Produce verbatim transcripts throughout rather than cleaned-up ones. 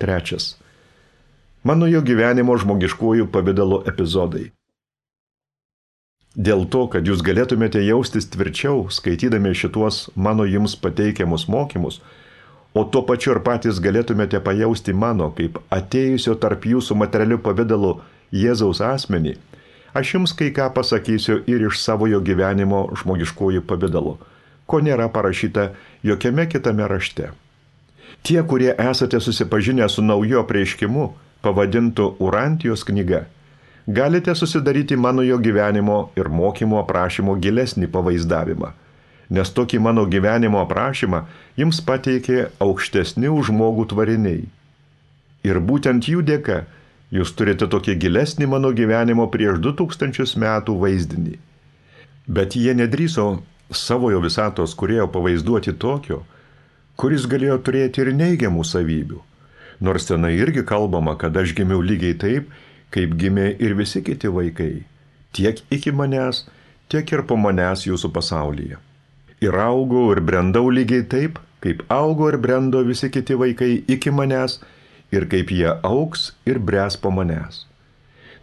Trečias. Mano jo gyvenimo žmogiškųjų pavidalų epizodai. Dėl to, kad jūs galėtumėte jaustis tvirčiau, skaitydami šituos mano jums pateikiamus mokymus, o tuo pačiu ir patys galėtumėte pajausti mano, kaip atėjusio tarp jūsų materialių pavidalų Jėzaus asmenį, aš jums kai ką pasakysiu ir iš savojo gyvenimo žmogiškųjų pavidalų, ko nėra parašyta jokiame kitame rašte. Tie, kurie esate susipažinę su naujo apreiškimu, pavadintu Urantijos knyga, galite susidaryti mano jo gyvenimo ir mokymo aprašymo gilesnį pavaizdavimą, nes tokį mano gyvenimo aprašymą jums pateikė aukštesni už žmogų tvariniai. Ir būtent jų dėka jūs turite tokį gilesnį mano gyvenimo prieš du tūkstančius metų vaizdinį. Bet jie nedrįso savojo visatos kūrėjo pavaizduoti tokio, kuris galėjo turėti ir neigiamų savybių. Nors tenai irgi kalbama, kad aš gimiau lygiai taip, kaip gimė ir visi kiti vaikai, tiek iki manęs, tiek ir po manęs jūsų pasaulyje. Ir augau ir brendau lygiai taip, kaip augo ir brendo visi kiti vaikai iki manęs, ir kaip jie augs ir bręs po manęs.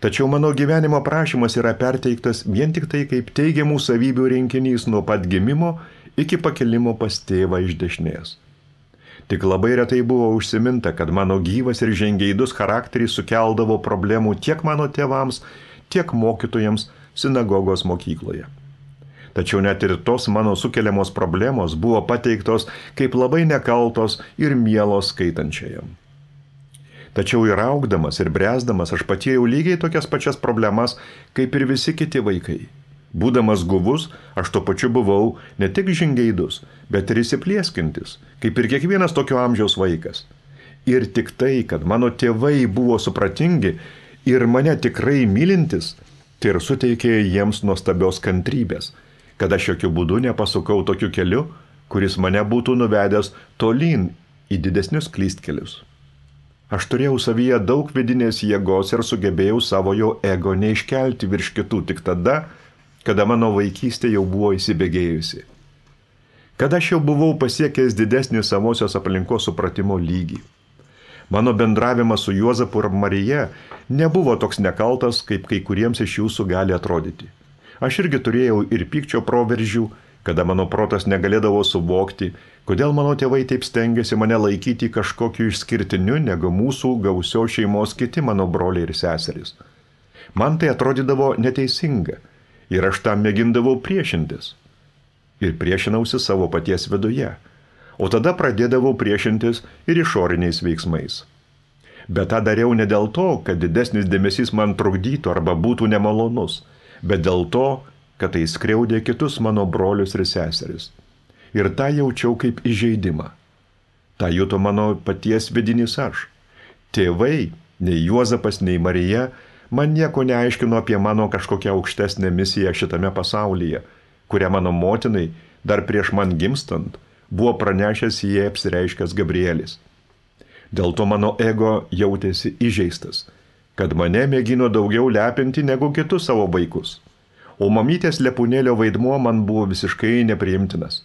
Tačiau mano gyvenimo aprašymas yra perteiktas vien tik tai kaip teigiamų savybių rinkinys nuo pat gimimo iki pakilimo pas tėvą iš dešinės. Tik labai retai buvo užsiminta, kad mano gyvas ir žingeidus charakteris sukeldavo problemų tiek mano tėvams, tiek mokytojams sinagogos mokykloje. Tačiau net ir tos mano sukeliamos problemos buvo pateiktos kaip labai nekaltos ir mielos skaitančiajam. Tačiau ir augdamas ir bręsdamas aš patyriau lygiai tokias pačias problemas, kaip ir visi kiti vaikai. Būdamas guvus, aš tuo pačiu buvau ne tik žingeidus, bet ir įsiplieskintis, kaip ir kiekvienas tokio amžiaus vaikas. Ir tik tai, kad mano tėvai buvo supratingi ir mane tikrai mylintis, tai ir suteikė jiems nuostabios kantrybės, kad aš jokių būdų nepasukau tokiu keliu, kuris mane būtų nuvedęs tolyn į didesnius klystkelius. Aš turėjau savyje daug vidinės jėgos ir sugebėjau savojo ego neiškelti virš kitų tik tada, kada mano vaikystė jau buvo įsibėgėjusi. Kada aš jau buvau pasiekęs didesnį savosios aplinkos supratimo lygį. Mano bendravimas su Juozapu ir Marija nebuvo toks nekaltas, kaip kai kuriems iš jūsų gali atrodyti. Aš irgi turėjau ir pykčio proveržių, kada mano protas negalėdavo suvokti, kodėl mano tėvai taip stengiasi mane laikyti kažkokiu išskirtiniu, negu mūsų gausios šeimos kiti mano broliai ir seserys. Man tai atrodydavo neteisinga. Ir aš tam mėgindavau priešintis. Ir priešinausi savo paties viduje. O tada pradėdavau priešintis ir išoriniais veiksmais. Bet tą dariau ne dėl to, kad didesnis dėmesys man trukdytų arba būtų nemalonus, bet dėl to, kad tai skriaudė kitus mano brolius ir seseris. Ir tą jaučiau kaip įžeidimą. Ta juto mano paties vidinis aš. Tėvai, nei Juozapas, nei Marija, man nieko neaiškino apie mano kažkokią aukštesnę misiją šitame pasaulyje, kurią mano motinai, dar prieš man gimstant, buvo pranešęs jie apsireiškęs Gabrielis. Dėl to mano ego jautėsi įžeistas, kad mane mėgino daugiau lepinti negu kitus savo vaikus, o mamytės lepūnėlio vaidmuo man buvo visiškai nepriimtinas.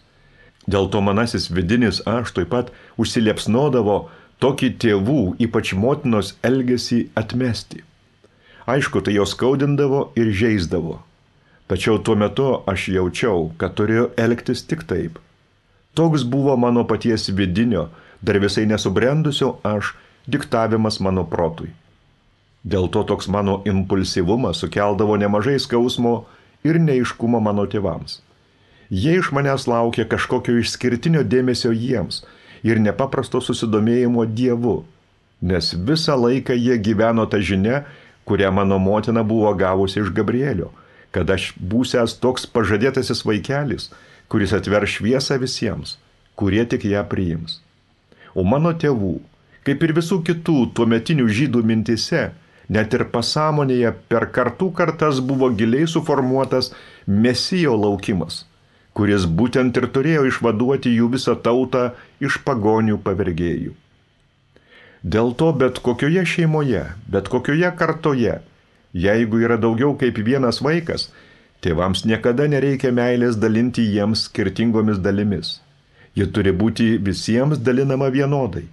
Dėl to manasis vidinis aš taip pat užsiliepsnodavo tokį tėvų, ypač motinos elgesį atmesti. Aišku, tai jos skaudindavo ir žeisdavo. Tačiau tuo metu aš jaučiau, kad turiu elgtis tik taip. Toks buvo mano paties vidinio, dar visai nesubrendusio aš, diktavimas mano protui. Dėl to toks mano impulsyvumas sukeldavo nemažai skausmo ir neaiškumo mano tėvams. Jie iš manęs laukė kažkokio išskirtinio dėmesio jiems ir nepaprasto susidomėjimo Dievu, nes visą laiką jie gyveno tą žinią, kurią mano motina buvo gavusi iš Gabrielio, kad aš būsiąs toks pažadėtasis vaikelis, kuris atver šviesą visiems, kurie tik ją priims. O mano tėvų, kaip ir visų kitų tuometinių žydų mintise, net ir pasąmonėje per kartų kartas buvo giliai suformuotas Mesijo laukimas, kuris būtent ir turėjo išvaduoti jų visą tautą iš pagonių pavergėjų. Dėl to bet kokioje šeimoje, bet kokioje kartoje, jeigu yra daugiau kaip vienas vaikas, tėvams niekada nereikia meilės dalinti jiems skirtingomis dalimis. Ji turi būti visiems dalinama vienodai.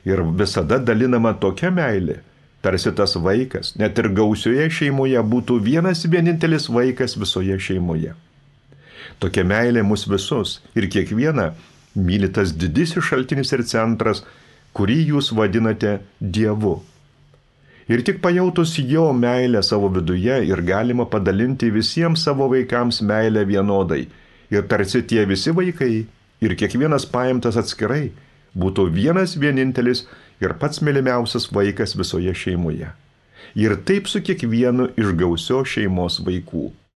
Ir visada dalinama tokia meilė, tarsi tas vaikas, net ir gausioje šeimoje, būtų vienas vienintelis vaikas visoje šeimoje. Tokia meilė mus visus ir kiekvieną myli tas didysis šaltinis ir centras, kurį jūs vadinate Dievu. Ir tik pajautus jo meilę savo viduje ir galima padalinti visiems savo vaikams meilę vienodai. Ir tarsi tie visi vaikai ir kiekvienas paimtas atskirai būtų vienas vienintelis ir pats mylimiausias vaikas visoje šeimoje. Ir taip su kiekvienu iš gausios šeimos vaikų.